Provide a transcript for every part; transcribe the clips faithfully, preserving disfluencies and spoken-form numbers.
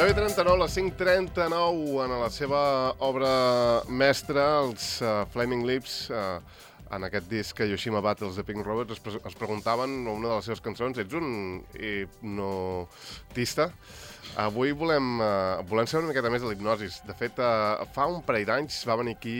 deu i trenta-nou, les cinc trenta-nou, en la seva obra mestra, els uh, Flaming Lips, uh, en aquest disc Yoshima Battles de Pink Roberts, es, pre es preguntaven a una de les seves cançons, ets un hipnotista? Avui volem, uh, volem saber una miqueta més de l'hipnosis. De fet, uh, fa un parell d'anys va venir aquí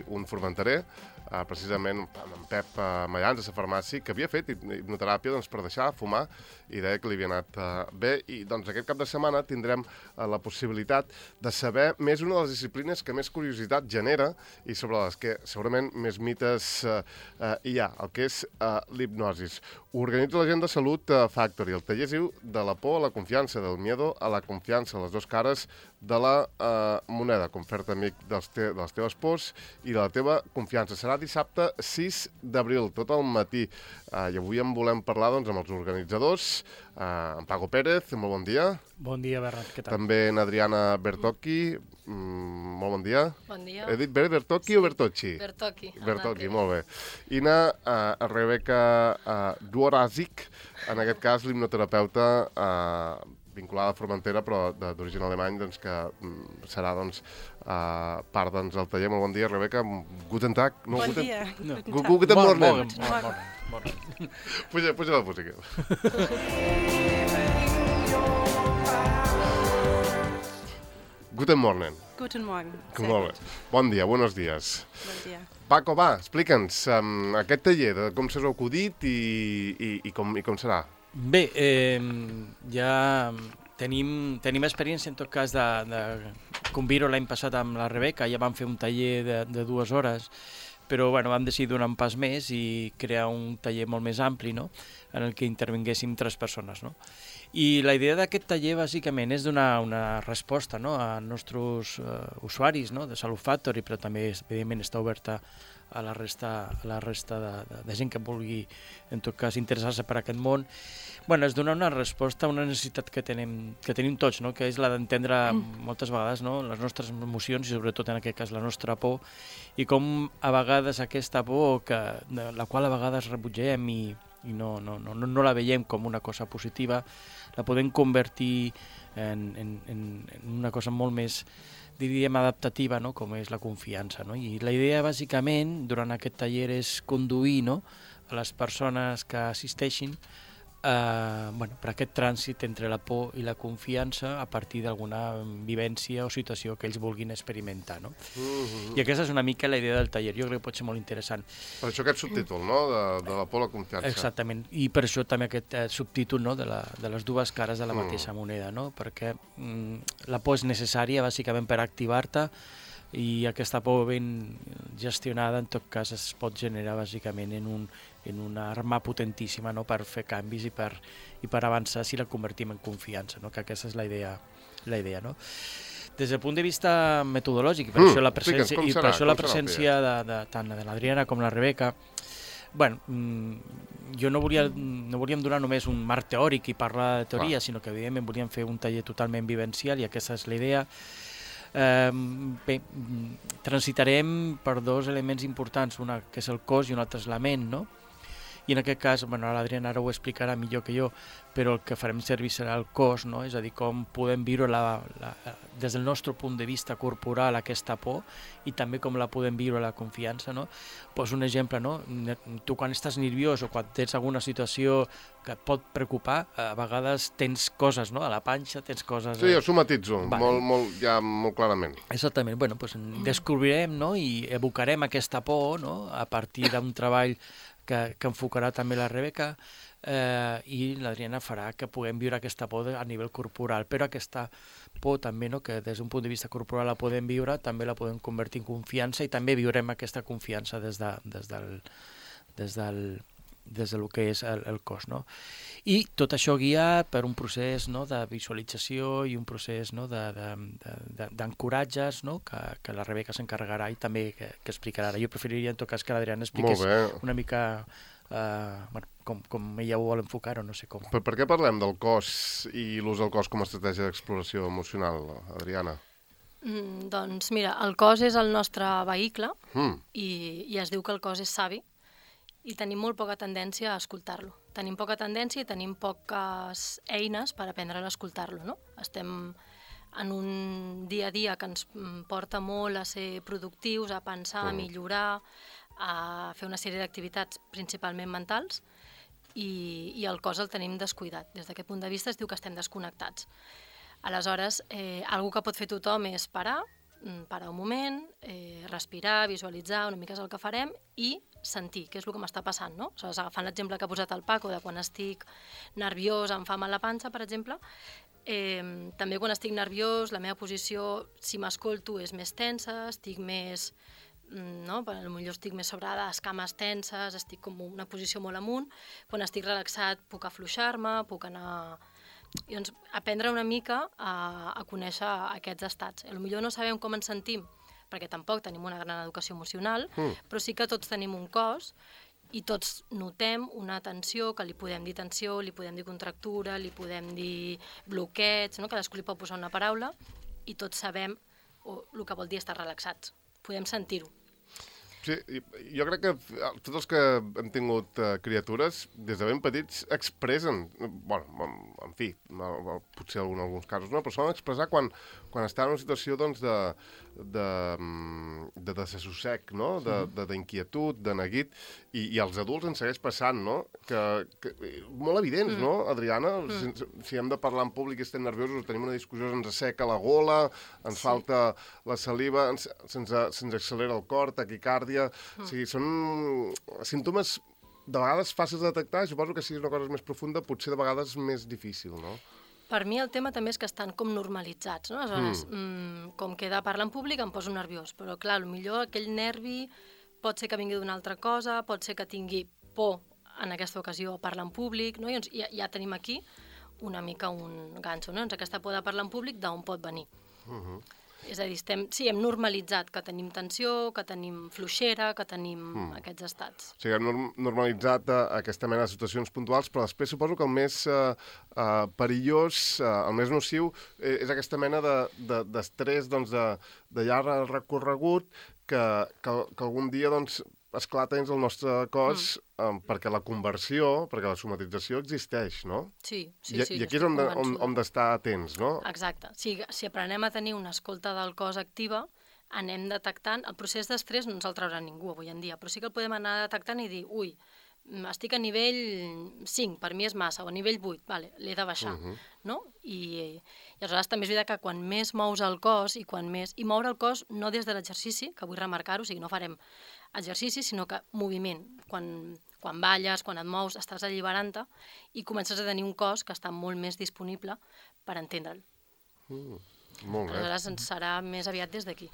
un formenterer, Uh, precisament amb en Pep uh, Mayans, a la farmàcia, que havia fet hipnoteràpia doncs, per deixar de fumar i deia que li havia anat uh, bé. I doncs, aquest cap de setmana tindrem uh, la possibilitat de saber més una de les disciplines que més curiositat genera i sobre les que segurament més mites uh, uh, hi ha, el que és uh, l'hipnosis. Ho organitza la gent de Salut uh, Factory. El taller es diu De la por a la confiança, del miedo a la confiança, les dues cares de la uh, moneda. Confert amic dels te de les teves pors i de la teva confiança. Serà dissabte sis d'abril, tot el matí. Uh, I avui en volem parlar doncs, amb els organitzadors. Uh, en Paco Pérez, molt bon dia. Bon dia, Bernat, què tal? També en Adriana Bertocchi, mm, molt bon dia. Bon dia. He dit bé Bertocchi sí. o Bertocci? Bertocchi. Bertocchi, molt bé. I na uh, Rebecca uh, Dworazik, en aquest cas l'hipnoterapeuta uh, vinculada a Formentera, però d'origen alemany, doncs, que mm, serà doncs, uh, part doncs, del taller. Molt bon dia, Rebecca. Guten Tag. No, bon guten... dia. No. Guten Morgen. Morgen. Puja, puja la música. Guten Morgen. Guten Morgen. Molt bé. Bon dia, buenos días. Bon dia. Paco, va, explica'ns um, aquest taller, de com s'ha acudit i, i, i, com, i com serà. Bé, eh, ja tenim, tenim experiència en tot cas de, de convir-ho l'any passat amb la Rebeca, ja vam fer un taller de, de dues hores, però bueno, vam decidir donar un pas més i crear un taller molt més ampli, no?, en el que intervinguéssim tres persones, no? I la idea d'aquest taller bàsicament és donar una resposta, no?, a nostres uh, usuaris, no?, de Salut Factory, però també evidentment està oberta a la resta, a la resta de, de, de gent que vulgui, en tot cas, interessar-se per aquest món. Bueno, és donar una resposta a una necessitat que tenim, que tenim tots, no?, que és la d'entendre moltes vegades, no?, les nostres emocions i sobretot en aquest cas la nostra por, i com a vegades aquesta por, que, de la qual a vegades rebutgem i, i no, no, no, no la veiem com una cosa positiva, la podem convertir en, en, en una cosa molt més, diríem, adaptativa, no?, com és la confiança, no? I la idea, bàsicament, durant aquest taller és conduir, no?, a les persones que assisteixin eh, bueno, per aquest trànsit entre la por i la confiança a partir d'alguna vivència o situació que ells vulguin experimentar, no? Uh-huh. I aquesta és una mica la idea del taller. Jo crec que pot ser molt interessant. Per això aquest subtítol, no?, de, de la por a la confiança. Exactament. I per això també aquest eh, subtítol, no?, de, la, de les dues cares de la mateixa mm. moneda, no? Perquè mm, la por és necessària, bàsicament, per activar-te, i aquesta por ben gestionada en tot cas es pot generar bàsicament en, un, en una arma potentíssima, no?, per fer canvis i per, i per avançar si la convertim en confiança, no?, que aquesta és la idea, la idea, no? Des del punt de vista metodològic, i per mm, això la presència, i per això la presència de, de, tant de l'Adriana com la Rebeca, bueno, jo no, volia, no volíem donar només un marc teòric i parlar de teoria, ah. sinó que evidentment volíem fer un taller totalment vivencial i aquesta és la idea. Eh, bé, transitarem per dos elements importants, una que és el cos i un altre és la ment, no? I en aquest cas, bueno, l'Adriana ara ho explicarà millor que jo, però el que farem servir serà el cos, no? És a dir, com podem viure la, la, des del nostre punt de vista corporal aquesta por i també com la podem viure la confiança, no? Poso un exemple, no? Tu quan estàs nerviós o quan tens alguna situació que et pot preocupar, a vegades tens coses, no?, a la panxa, tens coses... Sí, jo somatitzo, vale. molt, molt, ja molt clarament. Exactament, bueno, doncs descobrirem, no?, i evocarem aquesta por, no?, a partir d'un treball que, que enfocarà també la Rebeca, eh, i l'Adriana farà que puguem viure aquesta por a nivell corporal, però aquesta por també, no?, que des d'un punt de vista corporal la podem viure, també la podem convertir en confiança i també viurem aquesta confiança des, de, des del... Des del des del que és el, el cos, no? I tot això guiat per un procés, no?, de visualització i un procés, no?, d'ancoratges, no?, que, que la Rebeca s'encarregarà i també que, que explicarà. Jo preferiria en tot cas que l'Adriana expliqués una mica eh, bueno, com, com ella ho vol enfocar o no sé com. Per, per què parlem del cos i l'ús del cos com a estratègia d'exploració emocional, Adriana? Mm, doncs mira, el cos és el nostre vehicle mm. i, i es diu que el cos és savi i tenim molt poca tendència a escoltar-lo. Tenim poca tendència i tenim poques eines per aprendre a escoltar-lo, no? Estem en un dia a dia que ens porta molt a ser productius, a pensar, a millorar, a fer una sèrie d'activitats principalment mentals, i, i el cos el tenim descuidat. Des d'aquest punt de vista es diu que estem desconnectats. Aleshores, eh, algo que pot fer tothom és parar, parar un moment, eh, respirar, visualitzar, una mica és el que farem, i sentir, què és el que m'està passant, no? Aleshores, agafant l'exemple que ha posat el Paco, de quan estic nerviós, em fa mal la panxa, per exemple, eh, també quan estic nerviós, la meva posició, si m'escolto, és més tensa, estic més, no? Potser estic més sobre les cames tenses, estic com una posició molt amunt, quan estic relaxat puc afluixar-me, puc anar... I doncs aprendre una mica a, a conèixer aquests estats. Potser no sabem com ens sentim, perquè tampoc tenim una gran educació emocional, mm. però sí que tots tenim un cos i tots notem una tensió, que li podem dir tensió, li podem dir contractura, li podem dir bloqueig, no? Cadascú li pot posar una paraula, i tots sabem o, el que vol dir estar relaxats. Podem sentir-ho. Sí, jo crec que tots els que hem tingut uh, criatures, des de ben petits, expressen, bueno, en, en fi, potser en alguns casos no, però solen expressar quan, quan estan en una situació doncs, de, de, de desassossec, no? D'inquietud, de, de neguit, i, i als adults ens segueix passant, no? Que, que, molt evidents, mm. no, Adriana? Mm. Si, si hem de parlar en públic i estem nerviosos, tenim una discussió, ens asseca la gola, ens sí. falta la saliva, ens, se'ns, se'ns accelera el cor, taquicàrdia. Mm. O sigui, són símptomes de vegades fàcils de detectar, suposo que si és una cosa més profunda, potser de vegades més difícil, no? Per mi el tema també és que estan com normalitzats, no? Aleshores, mm. mmm, com que he de parlar en públic em poso nerviós, però clar, potser aquell nervi pot ser que vingui d'una altra cosa, pot ser que tingui por en aquesta ocasió a parlar en públic, no? I doncs ja, ja tenim aquí una mica un ganxo, no? Doncs aquesta por de parlar en públic d'on pot venir. Mm-hmm. És a dir, estem, sí, hem normalitzat que tenim tensió, que tenim fluixera, que tenim mm. aquests estats. O sigui, hem normalitzat uh, aquesta mena de situacions puntuals, però després suposo que el més uh, uh, perillós, uh, el més nociu, eh, és aquesta mena d'estrès de, de, doncs, de, de llarg recorregut que, que, que algun dia doncs, esclata dins el nostre cos mm. um, perquè la conversió, perquè la somatització existeix, no? Sí, sí, I, sí. I aquí és on, de, on, on d'estar atents, no? Exacte. Si, si aprenem a tenir una escolta del cos activa, anem detectant... El procés d'estrès no ens el traurà ningú avui en dia, però sí que el podem anar detectant i dir, ui, estic a nivell cinc, per mi és massa, o a nivell vuit, vale, l'he de baixar, uh-huh. no? I, I aleshores també és veritat que quan més mous el cos i quan més... I moure el cos no des de l'exercici, que vull remarcar-ho, o sigui, no farem exercici, sinó que moviment. Quan, quan balles, quan et mous, estàs alliberant-te i comences a tenir un cos que està molt més disponible per entendre'l. Mm, molt bé. Aleshores ens serà més aviat des d'aquí.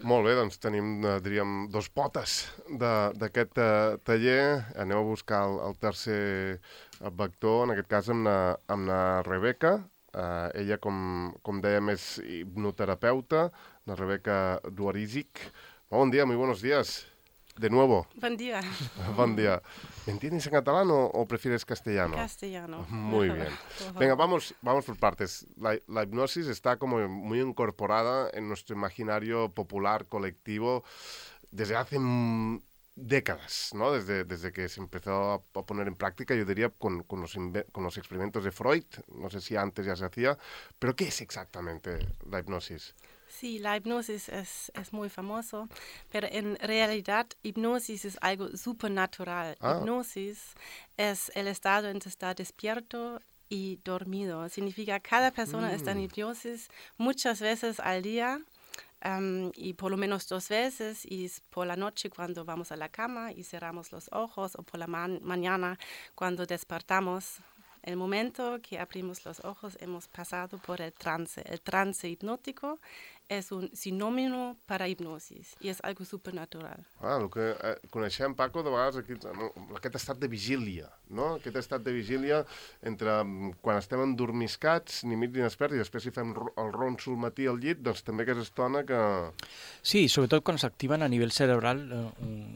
Molt bé, doncs tenim, diríem, dos potes d'aquest uh, taller. Anem a buscar el, el tercer vector, en aquest cas amb la, amb la Rebeca. Uh, ella, com, com dèiem, és hipnoterapeuta, la Rebeca Duarisic. Bon dia, muy buenos días. De nuevo. Buen día. Buen día. ¿Me entiendes en catalán o, o prefieres castellano? Castellano. Muy bien. Venga, vamos, vamos por partes. La, la hipnosis está como muy incorporada en nuestro imaginario popular, colectivo, desde hace décadas, ¿no? Desde, desde que se empezó a, a poner en práctica, yo diría, con, con, los con los experimentos de Freud. No sé si antes ya se hacía, pero ¿qué es exactamente la hipnosis? Sí, la hipnosis es, es muy famoso, pero en realidad hipnosis es algo supernatural. Ah. Hipnosis es el estado en que está despierto y dormido. Significa que cada persona mm. está en hipnosis muchas veces al día um, y por lo menos dos veces, y por la noche cuando vamos a la cama y cerramos los ojos, o por la ma- mañana cuando despertamos. El momento que abrimos los ojos hemos pasado por el trance. El trance hipnótico és un sinònimo per a hipnosis i és algo supernatural. Ah, el que eh, coneixem, Paco, de vegades aquí, no, aquest estat de vigília, no? Aquest estat de vigília entre quan estem endormiscats, ni mig ni despert, i després si fem el ronso al matí al llit, doncs també aquesta estona que... Sí, sobretot quan s'activen a nivell cerebral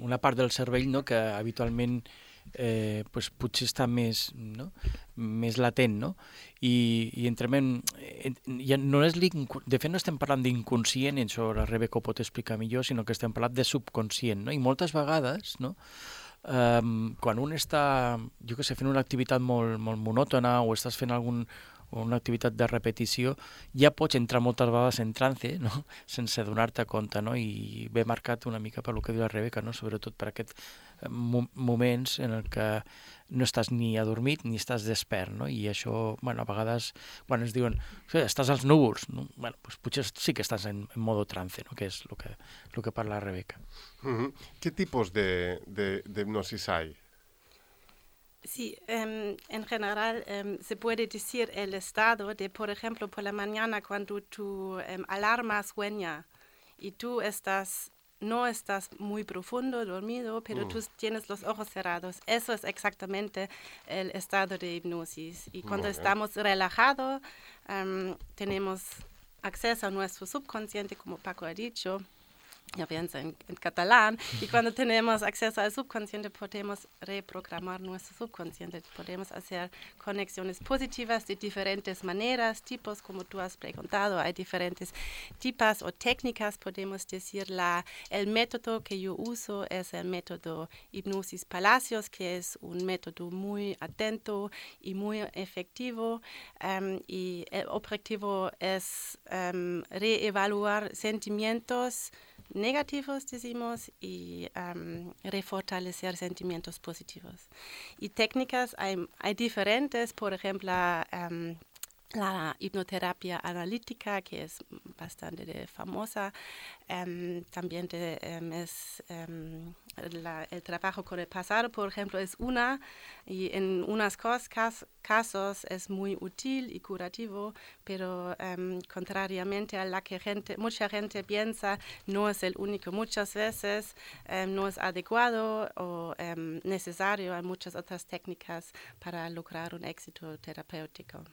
una part del cervell, no?, que habitualment eh, pues, potser està més, no?, més latent, no? I, i entrem en... Ja no és de fet, no estem parlant d'inconscient, i això la Rebeca ho pot explicar millor, sinó que estem parlant de subconscient, no? I moltes vegades, no?, um, quan un està, jo què sé, fent una activitat molt, molt monòtona o estàs fent algun, o una activitat de repetició, ja pots entrar moltes vegades en trance, no? Sense donar-te compte, no? I ve marcat una mica per lo que diu la Rebeca, no? Sobretot per aquests mo moments en el que no estàs ni adormit ni estàs despert, no? I això, bueno, a vegades, quan ens diuen estàs als núvols, no? Bueno, pues potser sí que estàs en, en modo trance, no? Que és el que, lo que parla la Rebeca. Uh-huh. ¿Qué tipos de, de, de hipnosis hay? Sí, um, en general um, se puede decir el estado de, por ejemplo, por la mañana cuando tu um, alarma sueña y tú estás, no estás muy profundo, dormido, pero mm. tú tienes los ojos cerrados. Eso es exactamente el estado de hipnosis. Y cuando estamos relajados, um, tenemos acceso a nuestro subconsciente, como Paco ha dicho. Ya pienso en, en catalán, y cuando tenemos acceso al subconsciente podemos reprogramar nuestro subconsciente, podemos hacer conexiones positivas de diferentes maneras, tipos, como tú has preguntado, hay diferentes tipos o técnicas, podemos decir, la, el método que yo uso es el método Hipnosis Palacios, que es un método muy atento y muy efectivo, um, y el objetivo es um, reevaluar sentimientos negativos, decimos, y um, refortalecer sentimientos positivos. Y técnicas hay, hay diferentes, por ejemplo, um, la hipnoterapia analítica, que es bastante de famosa, um, también de, um, es um, la, el trabajo con el pasado, por ejemplo, es una, y en unos cas casos es muy útil y curativo, pero um, contrariamente a la que gente, mucha gente piensa, no es el único. Muchas veces um, no es adecuado o um, necesario. Hay muchas otras técnicas para lograr un éxito terapéutico.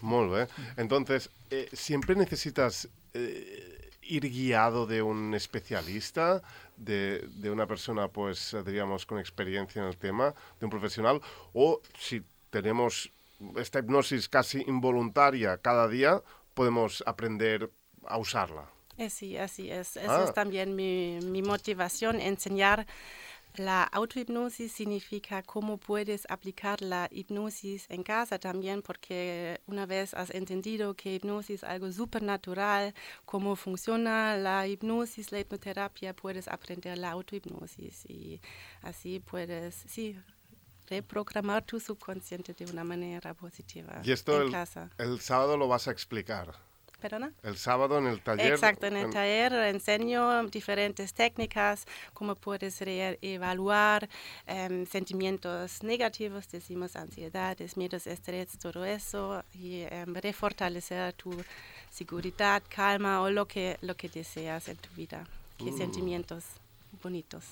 Muy bien. Entonces, eh, ¿siempre necesitas eh, ir guiado de un especialista, de, de una persona, pues, diríamos, con experiencia en el tema, de un profesional? O si tenemos esta hipnosis casi involuntaria cada día, podemos aprender a usarla. Eh, sí, así es. Eso ah. es también mi, mi motivación, enseñar. La autohipnosis significa cómo puedes aplicar la hipnosis en casa también, porque una vez has entendido que hipnosis es algo supernatural, cómo funciona la hipnosis, la hipnoterapia, puedes aprender la autohipnosis y así puedes, sí, reprogramar tu subconsciente de una manera positiva. Y esto en el, casa. El sábado lo vas a explicar. ¿Perdona? El sábado en el taller. Exacto, en el en... taller enseño diferentes técnicas, cómo puedes evaluar um, sentimientos negativos, decimos ansiedades, miedos, estrés, todo eso, y um, refortalecer tu seguridad, calma o lo que, lo que deseas en tu vida. ¿Qué mm. sentimientos bonitos?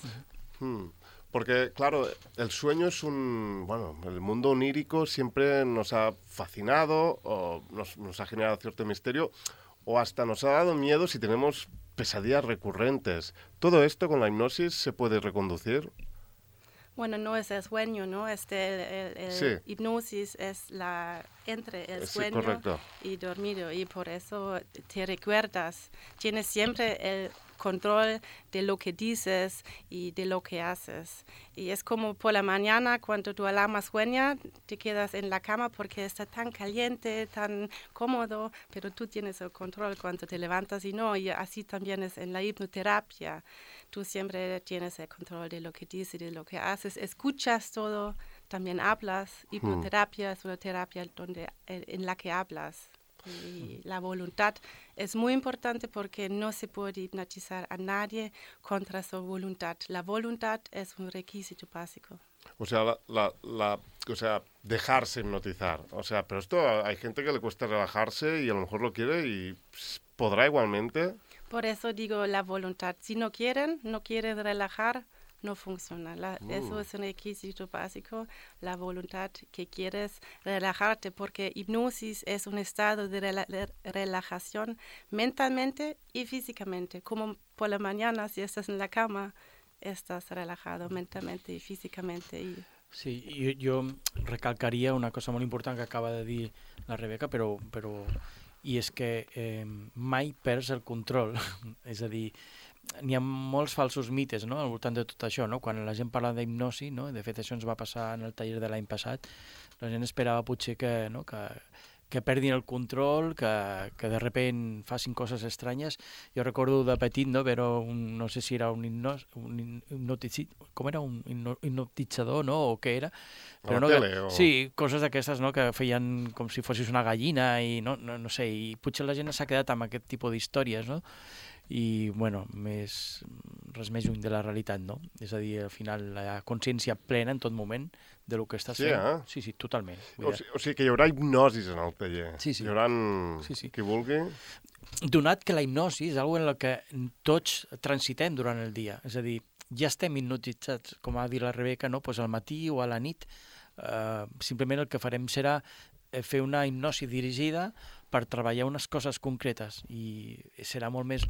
Mm. Porque, claro, el sueño es un... Bueno, el mundo onírico siempre nos ha fascinado o nos, nos ha generado cierto misterio o hasta nos ha dado miedo si tenemos pesadillas recurrentes. ¿Todo esto con la hipnosis se puede reconducir? Bueno, no es el sueño, ¿no? Este, el, el, el sí. hipnosis es la entre el sí, sueño correcto. Y dormido, y por eso te recuerdas. Tienes siempre el control de lo que dices y de lo que haces. Y es como por la mañana, cuando tu alarma sueña, te quedas en la cama porque está tan caliente, tan cómodo, pero tú tienes el control cuando te levantas y no. Y así también es en la hipnoterapia. Tú siempre tienes el control de lo que dices, de lo que haces, escuchas todo, también hablas. Hipnoterapia hmm. es una terapia donde, en la que hablas. Y la voluntad es muy importante porque no se puede hipnotizar a nadie contra su voluntad. La voluntad es un requisito básico. O sea, la, la, la, o sea, dejarse hipnotizar. O sea, pero esto hay gente que le cuesta relajarse y a lo mejor lo quiere y podrá igualmente. Por eso digo la voluntad. Si no quieren, no quieren relajar, no funciona. La, uh. Eso es un requisito básico, la voluntad que quieres relajarte, porque hipnosis es un estado de, rela de relajación mentalmente y físicamente. Como por la mañana, si estás en la cama, estás relajado mentalmente y físicamente. Y... Sí, jo, jo recalcaria una cosa molt important que acaba de dir la Rebeca, però, però i és que eh, mai perds el control. És a dir, n'hi ha molts falsos mites, no?, al voltant de tot això, no? Quan la gent parla d'hipnosi, no? De fet això ens va passar en el taller de l'any passat, la gent esperava potser que, no? que, que perdin el control, que, que de repent facin coses estranyes. Jo recordo de petit, no, però un, no sé si era un, hipnos, un hipnotitzit, com era, un hipnotitzador, no, o què era? Però no, tele, que, o... Sí, coses d'aquestes, no, que feien com si fossis una gallina i no, no, no sé, i potser la gent s'ha quedat amb aquest tipus d'històries, no? I, bueno, més, res més lluny de la realitat, no? És a dir, al final, la consciència plena en tot moment de lo que estàs sí, fent. Eh? Sí, sí, totalment. O, si, o sigui que hi haurà hipnosis en el taller. Sí, sí. Hi haurà sí, sí. qui vulgui. Donat que la hipnosi és una en la que tots transitem durant el dia. És a dir, ja estem hipnotitzats, com ha dit la Rebeca, no? Pues al matí o a la nit. Uh, simplement el que farem serà fer una hipnosi dirigida per treballar unes coses concretes i serà molt més,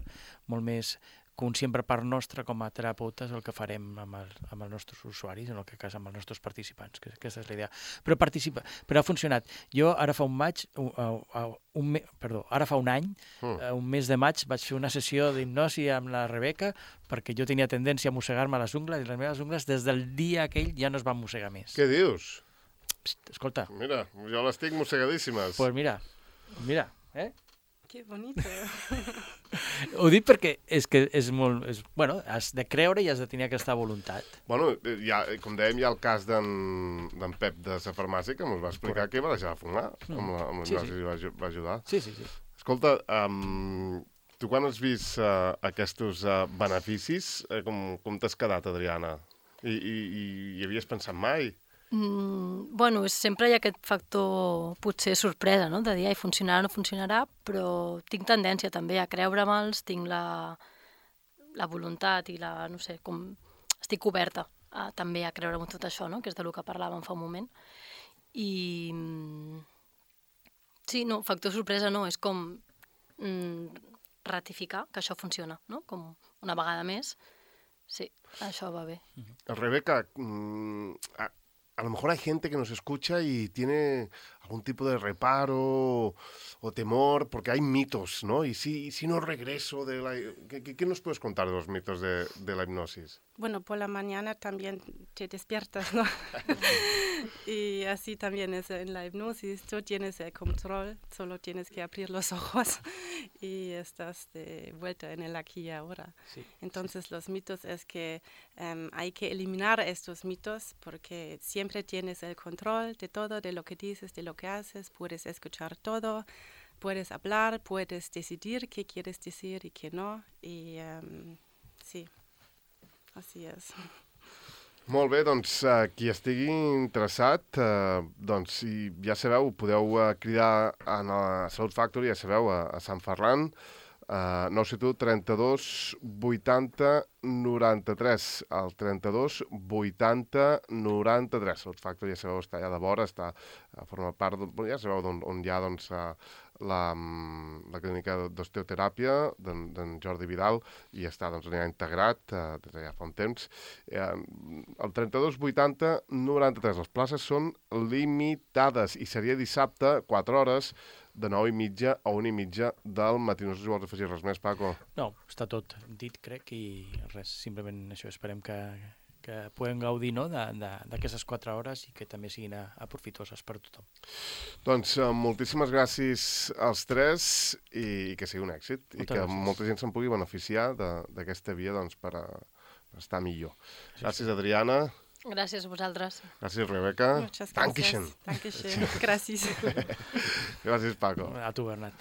molt més conscient per part nostra com a terapeutes el que farem amb, el, amb els nostres usuaris, en el que cas amb els nostres participants, que aquesta és la idea. Però participa, però ha funcionat. Jo ara fa un maig, un, un, un, perdó, ara fa un any, mm. un mes de maig, vaig fer una sessió d'hipnosi amb la Rebeca perquè jo tenia tendència a mossegar-me les ungles i les meves ungles des del dia aquell ja no es van mossegar més. Què dius? Psst, escolta. Mira, jo les tinc mossegadíssimes. Pues mira, mira, eh? Que bonito. Ho dic perquè és que és molt... És, bueno, has de creure i has de tenir aquesta voluntat. Bueno, ja, com dèiem, hi ha el cas d'en Pep de la farmàcia que ens va explicar Correcte. Que va deixar de fumar mm. amb la, amb la sí, sí. i va, va ajudar. Sí, sí, sí. Escolta, um, tu quan has vist uh, aquests uh, beneficis, uh, com, com t'has quedat, Adriana? I, i, i hi havies pensat mai? Mm, bueno, sempre hi ha aquest factor, potser sorpresa, no? De dir, ai, funcionarà o no funcionarà, però tinc tendència també a creure-me'ls, tinc la, la voluntat i la, no sé, com estic oberta a, també a creure-me tot això, no? Que és del que parlàvem fa un moment. I sí, no, factor sorpresa no, és com mm, ratificar que això funciona, no? Com una vegada més, sí, això va bé. Rebeca, mm, a... A lo mejor hay gente que nos escucha y tiene algún tipo de reparo o temor, porque hay mitos, ¿no? Y si, si no regreso de la... ¿Qué, qué nos puedes contar de los mitos de, de la hipnosis? Bueno, por la mañana también te despiertas, ¿no? Y así también es en la hipnosis. Tú tienes el control, solo tienes que abrir los ojos y estás de vuelta en el aquí y ahora. Sí, Entonces sí. Los mitos es que um, hay que eliminar estos mitos porque siempre tienes el control de todo, de lo que dices, de lo que haces, puedes escuchar todo, puedes hablar, puedes decidir qué quieres decir y qué no. Y um, sí, así es. Molt bé, doncs uh, qui estigui interessat, uh, doncs si ja sabeu, podeu uh, cridar a la Salut Factory, ja sabeu, a, a Sant Ferran, uh, nou set u trenta-dos vuitanta noranta-tres, el trenta-dos vuitanta noranta-tres. Salut Factory, ja sabeu, està allà de vora, està, uh, forma part, de, ja sabeu on, on hi ha doncs, uh, la, la clínica d'osteoteràpia d'en Jordi Vidal i està doncs, ja integrat eh, des de ja fa un temps. Eh, el trenta-dos vuitanta noranta-tres. Les places són limitades i seria dissabte, quatre hores, de nou i mitja a una i mitja del matí. No sé si vols afegir res més, Paco. No, està tot dit, crec, i res, simplement això, esperem que que puguem gaudir no, d'aquestes quatre hores i que també siguin aprofitoses per tothom. Doncs uh, moltíssimes gràcies als tres i, i que sigui un èxit. Moltes I que gràcies. Molta gent se'n pugui beneficiar d'aquesta via doncs, per, a, per estar millor. Sí, gràcies, sí. Adriana. Gràcies a vosaltres. Gràcies, Rebeca. Muchas gracias. Dankeschön. Dankeschön. Gràcies. Gràcies, Paco. A tu, Bernat.